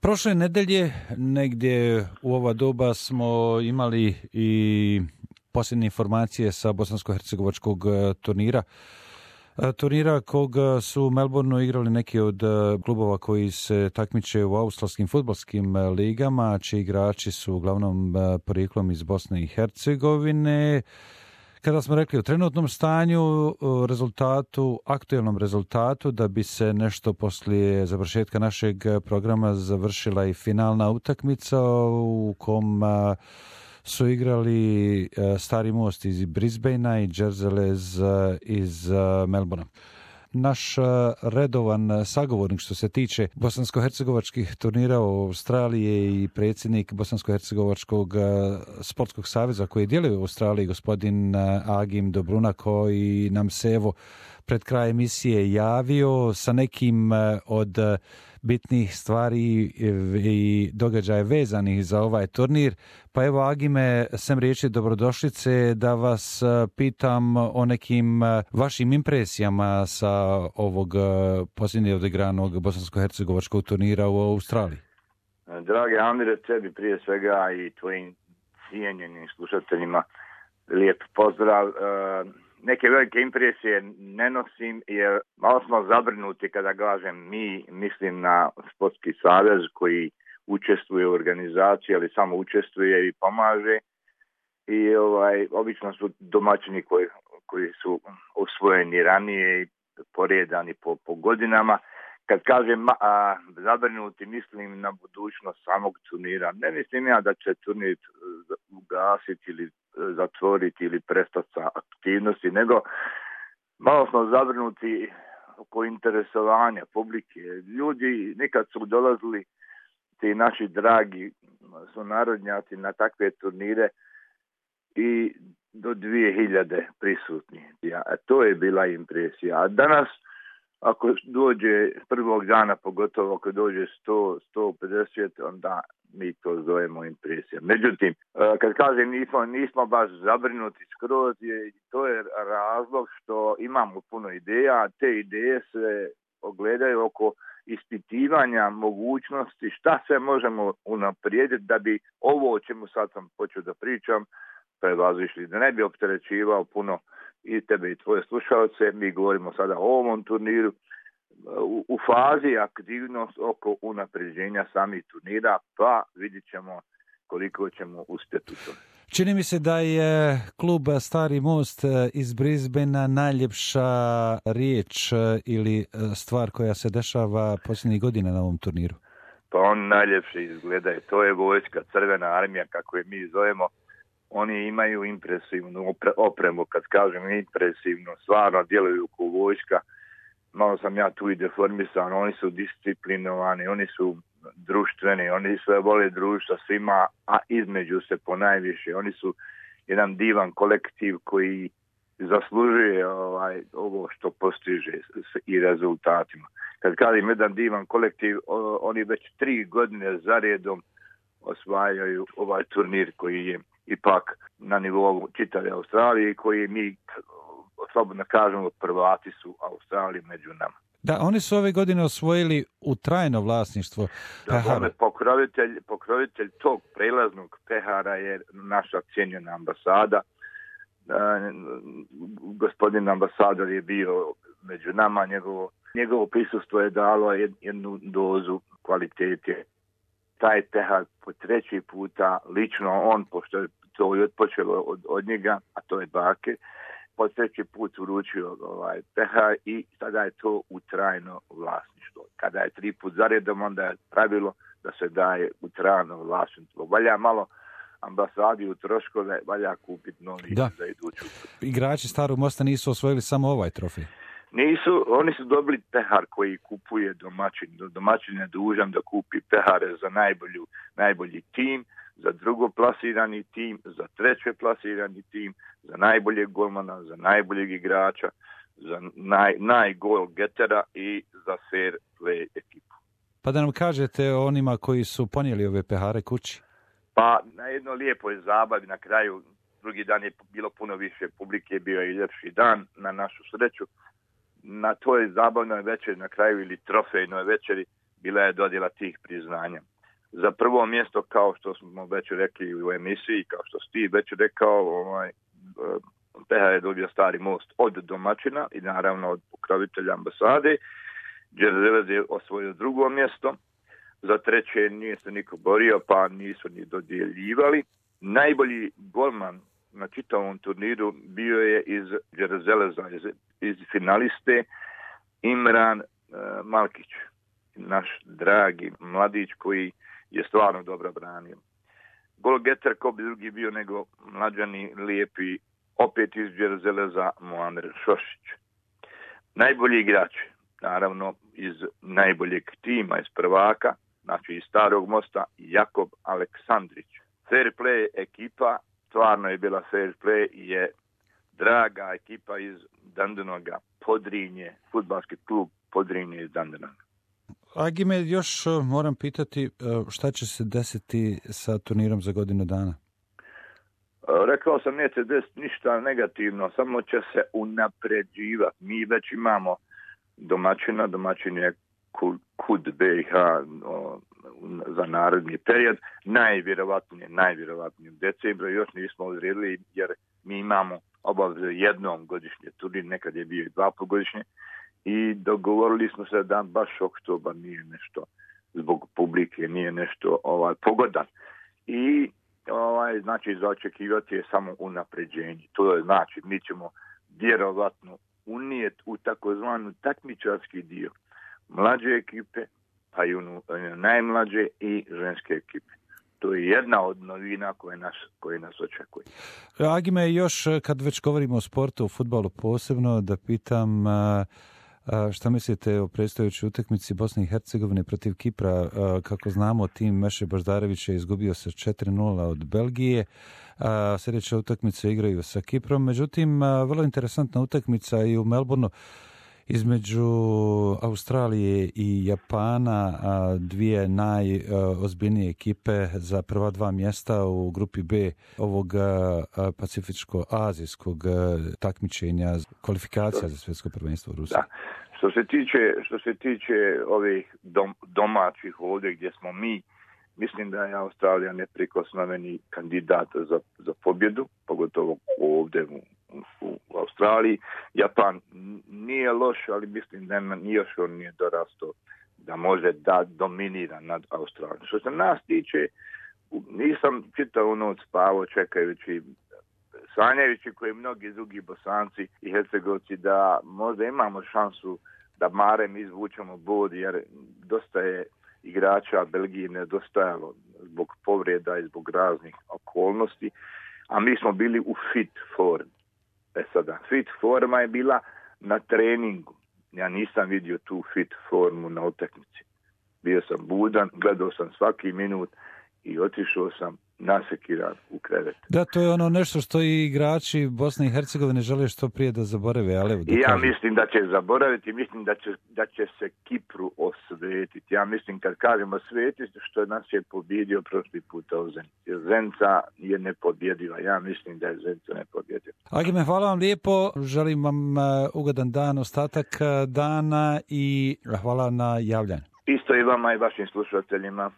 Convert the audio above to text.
Prošle nedelje, negdje u ova doba, smo imali i posljednje informacije sa bosansko-hercegovačkog turnira. Turnira kog su u Melbourneu igrali neki od klubova koji se takmiče u australskim fudbalskim ligama, čiji igrači su uglavnom porijeklom iz Bosne i Hercegovine. Kada smo rekli o trenutnom stanju, aktualnom rezultatu, da bi se nešto poslije završetka našeg programa završila i finalna utakmica u kom su igrali Stari Most iz Brisbanea i Džerzelez iz Melbournea. Naš redovan sagovornik što se tiče bosansko-hercegovačkih turnira u Australiji je i predsjednik Bosansko-hercegovačkog sportskog saveza koji djeluje u Australiji, gospodin Agim Dobruna, koji nam se evo pred kraj emisije javio sa nekim od bitnih stvari i događaja vezanih za ovaj turnir. Pa evo, Agime, sem riječi dobrodošlice, da vas pitam o nekim vašim impresijama sa ovog posljednje odigranog bosansko-hercegovačkog turnira u Australiji. Dragi Amire, tebi prije svega i tvojim cijenjenim slušateljima lijep pozdrav. Neke velike impresije ne nosim jer malo smo zabrinuti kada kažem mi, mislim na sportski savez koji učestvuje u organizaciji, ali samo učestvuje i pomaže. I obično su domaćini koji su osvojeni ranije i poredani po godinama. Kad kažem zabrinuti, mislim na budućnost samog turnira. Ne mislim ja da će turnir ugasiti ili zatvoriti ili prestati sa aktivnosti, nego malo smo zabrinuti oko interesovanja publike. Ljudi nikad su dolazili, ti naši dragi sunarodnjaci, na takve turnire i do 2000 prisutni. To je bila impresija. A danas, ako dođe prvog dana, pogotovo ako dođe 100-150, onda mi to zovemo impresija. Međutim, kad kažem nismo baš zabrinuti skroz, to je razlog što imamo puno ideja, a te ideje se ogledaju oko ispitivanja mogućnosti šta sve možemo unaprijediti da bi ovo o čemu sad sam počeo da pričam prevazišli, da ne bi opterećivao puno i tebe i tvoje slušalce. Mi govorimo sada o ovom turniru u fazi aktivnost oko unapređenja samih turnira, pa vidjet ćemo koliko ćemo uspjeti u tome. Čini mi se da je klub Stari Most iz Brisbanea najljepša riječ ili stvar koja se dešava posljednjih godina na ovom turniru. Pa on najljepše izgleda. To je vojska, crvena armija, kako je mi zovemo. Oni imaju impresivnu opremu, kad kažem impresivno, stvarno djeluju kao vojska. Malo sam ja tu i deformisan, oni su disciplinovani, oni su društveni, oni sve vole društva svima, a između se ponajviše. Oni su jedan divan kolektiv koji zaslužuje ovo što postiže i rezultatima. Kad kažem jedan divan kolektiv, oni već 3 godine zaredom osvajaju ovaj turnir koji je ipak na nivou čitave Australije, koji mi slobodno kažemo prvati su Australiji među nama. Da, oni su ove godine osvojili u trajno vlasništvo pehara. Pokrovitelj tog prelaznog pehara je naša cijenjena ambasada. Gospodin ambasador je bio među nama, njegovo prisustvo je dalo jednu dozu kvalitete. Taj pehar po 3. puta lično on, pošto je to i odpočelo od njega, a to je bake, po 3. put uručio pehar i tada je to u trajno vlasništvo. Kada je 3 put zaredom, onda je pravilo da se daje u trajno vlasništvo. Valja malo ambasadi u troškove, valja kupiti novi za iduću. Igrači Starog Mosta nisu osvojili samo ovaj trofej. Nisu, oni su dobili pehar koji kupuje domaćin. Domaćin je dužan da kupi pehare za najbolji tim, za drugoplasirani tim, za trećeplasirani tim, za najboljeg golmana, za najboljeg igrača, za najgol getera i za fair play ekipu. Pa da nam kažete o onima koji su ponijeli ove pehare kući. Pa na jedno lijepoj zabavi na kraju, drugi dan je bilo puno više publike, bio je i ljepši dan na našu sreću. Na toj zabavnoj večeri na kraju ili trofejnoj večeri bila je dodjela tih priznanja. za prvo mjesto, kao što smo već rekli u emisiji, kao što Steve već rekao, PH je dobio Stari Most od domaćina i naravno od pokrovitelja ambasade. Đerzelez je osvojio drugo mjesto. Za treće nije se niko borio, pa nisu ni dodjeljivali. Najbolji golman na čitavom turniru bio je iz Đerzeleza, iz finaliste Imran Malkić, naš dragi mladić koji je stvarno dobro branio. Golgeter ko bi drugi bio nego mlađani lijepi, opet iz Đerzeleza, Muamer Šošić. Najbolji igrač, naravno iz najboljeg tima, iz prvaka, znači iz Starog Mosta, Jakob Aleksandrić. Fair play ekipa, stvarno je bila fair play, je draga ekipa iz Dandenaga, Podrinje, fudbalski klub Podrinje iz Dandenaga. Agime, još moram pitati šta će se desiti sa turnirom za godinu dana? Rekao sam, neće desiti ništa negativno, samo će se unapređivati. Mi već imamo domaćina, domaćin je KUD BiH za naredni period, najvjerovatnije u decembru, još nismo odredili jer mi imamo obavezu jednom godišnje turnir, nekad je bio i 2 godišnje, i dogovorili smo se da baš oktobar nije nešto zbog publike, nije nešto pogodan. I znači za očekivati je samo unapređenje. To je znači mi ćemo vjerovatno unijeti u takozvanu takmičarski dio mlađe ekipe, pa i najmlađe i ženske ekipe. To je jedna od novina koje nas očekuje. Agime, još kad već govorimo o sportu, o fudbalu posebno, da pitam šta mislite o predstojećoj utakmici Bosne i Hercegovine protiv Kipra? Kako znamo, tim Meše Baždarevića je izgubio sa 4-0 od Belgije. Sljedeće utakmice igraju sa Kiprom. Međutim, vrlo interesantna utakmica i u Melbourneu između Australije i Japana, dvije najozbiljnije ekipe za prva 2 mjesta u grupi B ovog pacifičko-azijskog takmičenja kvalifikacija za svjetsko prvenstvo u Rusiji. Da. Što se tiče ovih domaćih ovdje gdje smo mi, mislim da je Australija neprikosnoveni kandidat za pobjedu, pogotovo ovdje u Australiji. Japan nije loš, ali mislim da još on nije dorastao da može da dominira nad Australijom. Što se nas tiče, nisam čitao noć spavao čekajući, sanjajući koji mnogi drugi Bosanci i Hercegovci da možda imamo šansu da barem izvučemo bod, jer dosta je igrača Belgiji nedostajalo zbog povreda i zbog raznih okolnosti, a mi smo bili u fit form. Sada, fit forma je bila na treningu. Ja nisam vidio tu fit formu na utakmici. Bio sam budan, gledao sam svaki minut i otišao sam nasekiran u krevet. Da, to je ono nešto što i igrači Bosne i Hercegovine žele što prije da zaborave. Ali ja mislim da će zaboraviti, mislim da će se Kipru osvetiti. Ja mislim kad kažemo svetiti, što nas je pobjedio prošli puta u Zenici. Zenica je nepobjediva. Ja mislim da je Zenica nepobjediva. Agime, hvala vam lijepo. Želim vam ugodan dan, ostatak dana i hvala na javljanju. Isto i vama i vašim slušateljima.